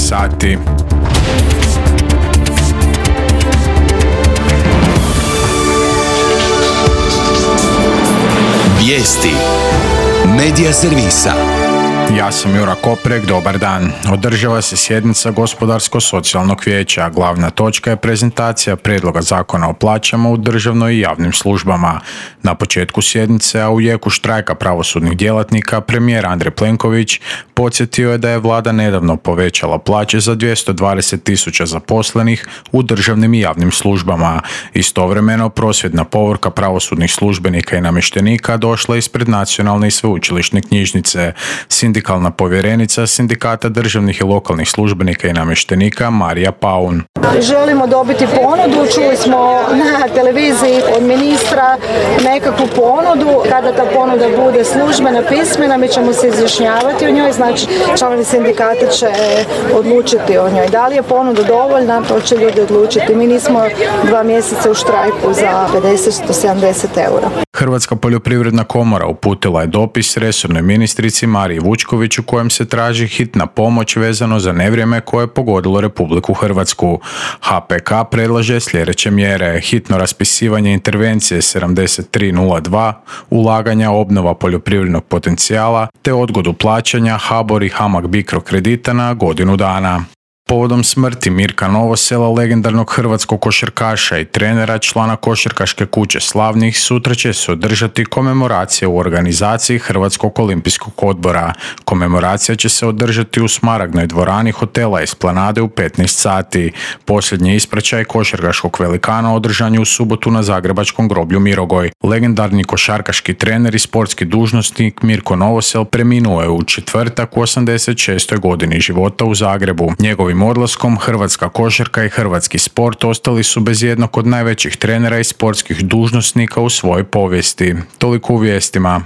sati. Vijesti Medija servisa. Ja sam Jura Koprek, dobar dan. Održava se sjednica Gospodarsko-socijalnog vijeća. Glavna točka je prezentacija prijedloga zakona o plaćama u državnoj i javnim službama. Na početku sjednice, a u jeku štrajka pravosudnih djelatnika, premijer Andrej Plenković podsjetio je da je vlada nedavno povećala plaće za 220.000 zaposlenih u državnim i javnim službama. Istovremeno, prosvjedna povorka pravosudnih službenika i namještenika došla ispred Nacionalne i sveučilišne knjižnice. Sindikalna povjerenica Sindikata državnih i lokalnih službenika i namještenika Marija Paun. Želimo dobiti ponudu, čuli smo na televiziji od ministra nekakvu ponudu. Kada ta ponuda bude službena, pismena, mi ćemo se izjašnjavati o njoj, znači članovi sindikata će odlučiti o njoj. Da li je ponuda dovoljna, to će ljudi odlučiti. Mi nismo 2 mjeseca u štrajku za 50-70 eura. Hrvatska poljoprivredna komora uputila je dopis resornoj ministrici Mariji Vučković u kojem se traži hitna pomoć vezano za nevrijeme koje je pogodilo Republiku Hrvatsku. HPK predlaže sljedeće mjere: hitno raspisivanje intervencije 7302, ulaganja obnova poljoprivrednog potencijala te odgodu plaćanja HBOR i HAMAG Bicro kredita na godinu dana. Povodom smrti Mirka Novosela, legendarnog hrvatskog košarkaša i trenera, člana košarkaške kuće Slavnih, sutra će se održati komemoracija u organizaciji Hrvatskog olimpijskog odbora. Komemoracija će se održati u Smaragdnoj dvorani hotela Esplanade u 15 sati. Posljednji ispraćaj košarkaškog velikana održan je u subotu na zagrebačkom groblju Mirogoj. Legendarni košarkaški trener i sportski dužnosnik Mirko Novosel preminuo je u četvrtak u 86. godini života u Zagrebu. Njegovim odlaskom hrvatska košarka i hrvatski sport ostali su bez jednog od najvećih trenera i sportskih dužnosnika u svojoj povijesti. Toliko u vijestima.